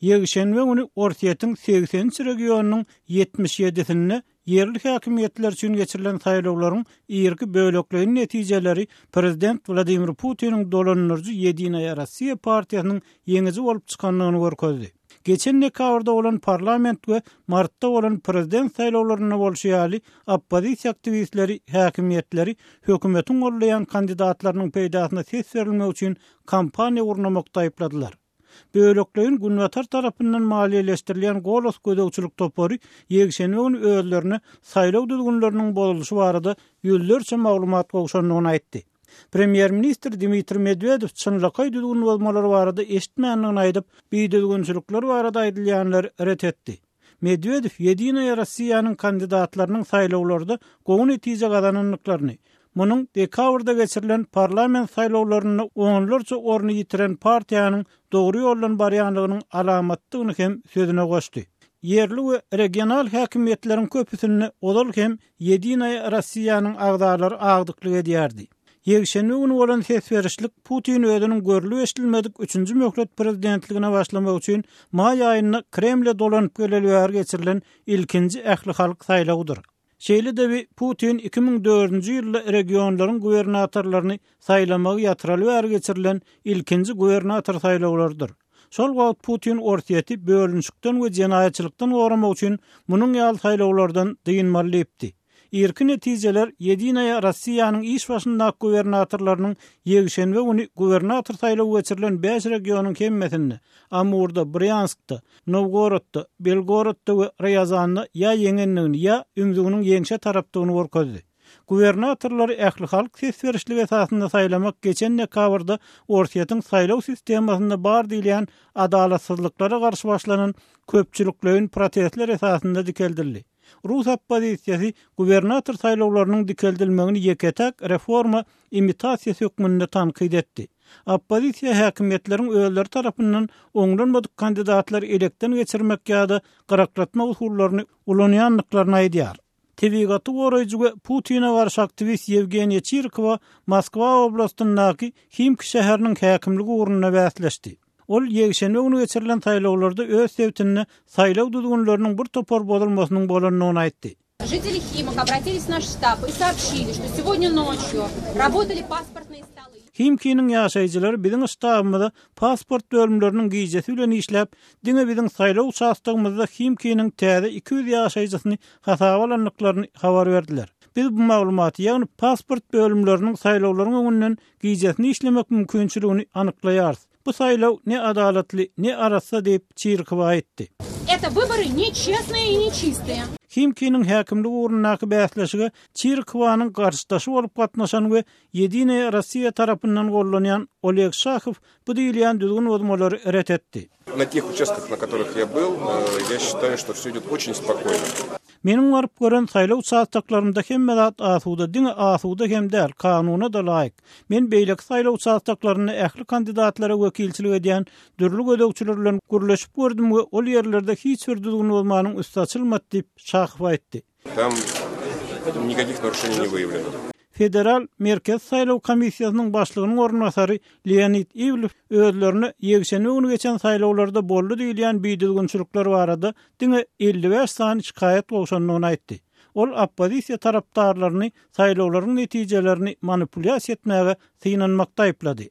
Ýekşenbe güni Orsýetiň 83 regionynyň 77-sinde ýerli häkimiýetler üçin geçirilen saýlawlaryň irki bölekleýin netijeleri prezident Wladimir Putiniň dolandyryjy Ýedinaýa Rossiýa partiýasynyň ýeňiji bolup çykandygyny görkezdi. Geçen dekabrda bolan parlament we martda bolan prezident saýlawlarynda bolşy ýaly, oppozisiýa aktiwistleri häkimiýetleri hökümetiň goldaýan kandidatlarynyň peýdasyna ses berilmegi üçin kampaniýa gurnamakda aýypladylar. Bölekleýin Günbatar tarapyndan maliýeleşdirilýän Golos gözegçilik topary ýekşenbe güni özlerine saýlaw düzgünleriniň bozulyşy barada ýüzlerçe maglumat gowşandygyny aýtdy. Premýer-ministr Dmitriý Medwedew çynlakaý düzgün bozmalar barada eşitmändigini aýdyp, bidüzgünçilikler barada aýdylýanlary ret etdi. Medwedew Ýedinaýa Rossiýanyň kandidatlarynyň saýlawlarda gowy netije gazanandyklaryny, munuň dekabrda geçirilen parlament saýlawlarynda onlarça orny ýitiren partiýanyň dogry ýoldan barýandygynyň alamatdygyny hem sözüne goşdy. Ýerli we regional häkimiýetleriň köpüsinde ozal hem Ýedinaýa Rossiýanyň agzalary agdyklyk edýärdi. Ýekşenbe güni bolan ses berişlik Putin özüniň görlüp-eşidilmedik üçünji möhlet prezidentligine başlamak üçin maý aýynda Kremle dolanyp geleli bäri geçirilen ilkinji ählihalk saýlawydyr. Şeýle-de bi Putin 2004-nji ýylda regionlaryň gubernatorlaryny saýlamagy ýatyraly bäri geçirilen ilkinji gubernator saýlawlarydyr. Şol wagt Putin Orsýeti bölünişikden we jenaýatçylykdan goramak üçin munuň ýaly saýlawlardan dynmaly diýipdi. Irki netijeler Ýedinaýa Rossiýanyň iş başyndaky gubernatorlarynyň ýekşenbe güni gubernator saýlawy geçirilen bäş regionyň hemmesinde, Amurda, Brýanskda, Nowgorodda, Belgorodda we Rýazanda ýa ýeňendigini, ýa ümzüginiň ýeňşe tarapdygyny görkezdi. Gubernatorlary ählihalk ses berişligi esasynda saýlamak geçen dekabrda Orsýetiň saýlaw sistemasynda bar diýilýän adalatsyzlyklara garşy başlanan köpçülikleýin protestler esasynda dikeldildi. Rus oppozisiýasy gubernator saýlawlarynyň dikeldilmegini ýeke-täk reforma imitasiýasy hökmünde tankyt etdi. Oppozisiýa häkimiýetleriň özleri tarapyndan oňlanmadyk kandidatlary elekden geçirmek ýa-da gyraklatmak usullaryny ulanýandyklaryny aýdýar. Tebigaty goraýjy we Putine garşy aktiwist Ýewgeniýa Çirkowa Moskwa oblastyndaky Himki şäheriniň häkimligi ugrunda bäsleşdi. Ol ýekşenbe güni geçirilen saýlawlarda öz sebitinde saýlaw düzgünleriniň bir topar bozulmasynyň bolandygyny aýtdy. Žiteli Himok obratilis w naş ştab i soobşili, şto segodnýa noçýu rabotali pasportnyye stoly. Himkiniň ýaşaýjylary biziň ştabymyza pasport bölümleriniň gijesi bilen işläp, diňe biziň saýlaw uçastogymyzda Himkiniň täze 200 ýaşaýjysyny hasaba alandyklaryny habar berdiler. Biz bu maglumaty, ýagny pasport bölümleriniň saýlawlaryň öňünden gijesine işlemek mümkinçiligini anyklaýarys. Bu saýlaw ne adalatly, ne arassa diýip, Çirkowa aýtdy. Eto wybory ne çestnyye i ne çistyye. Himkiniň häkimlik ugrundaky bäsleşige Çirkowanyň garşydaşy bolup gatnaşan we Ýedinaýa Rossiýa tarapyndan gollanýan Oleg Şahow bu diýilýän düzgün bozmalary ret etdi. Na teh uçastkah, na kotoryh ýa byl, ýa şçitaýu, şto wsё idýot oçin spokoýno. Meniň baryp gören saýlaw uçastoklarymda hemme zat asuda, diňe asuda hem däl, kanuna-da laýyk. Men beýleki saýlaw uçastoklarynda ähli kandidatlara wekilçilik edýän dürli gözegçiler bilen gürleşip gördüm we ol ýerlerde hiç bir düzgün bozmanyň üsti açylmady diýip, Şahow aýtdy. Tam nikakih naruşeniý ne wyýawleno. Federal Merkezi saýlaw komissiýasynyň başlygynyň orunbasary Leonid Iwlew özlerine ýekşenbe güni geçen saýlawlarda boldy diýilýän bidüzgünçilikler barada diňe 55 sany şikaýat gowşandygyny aýtdy. Ol oppozisiýa tarapdarlaryny saýlawlaryň netijelerini manipulýasiýa etmäge synanmakda aýyplady.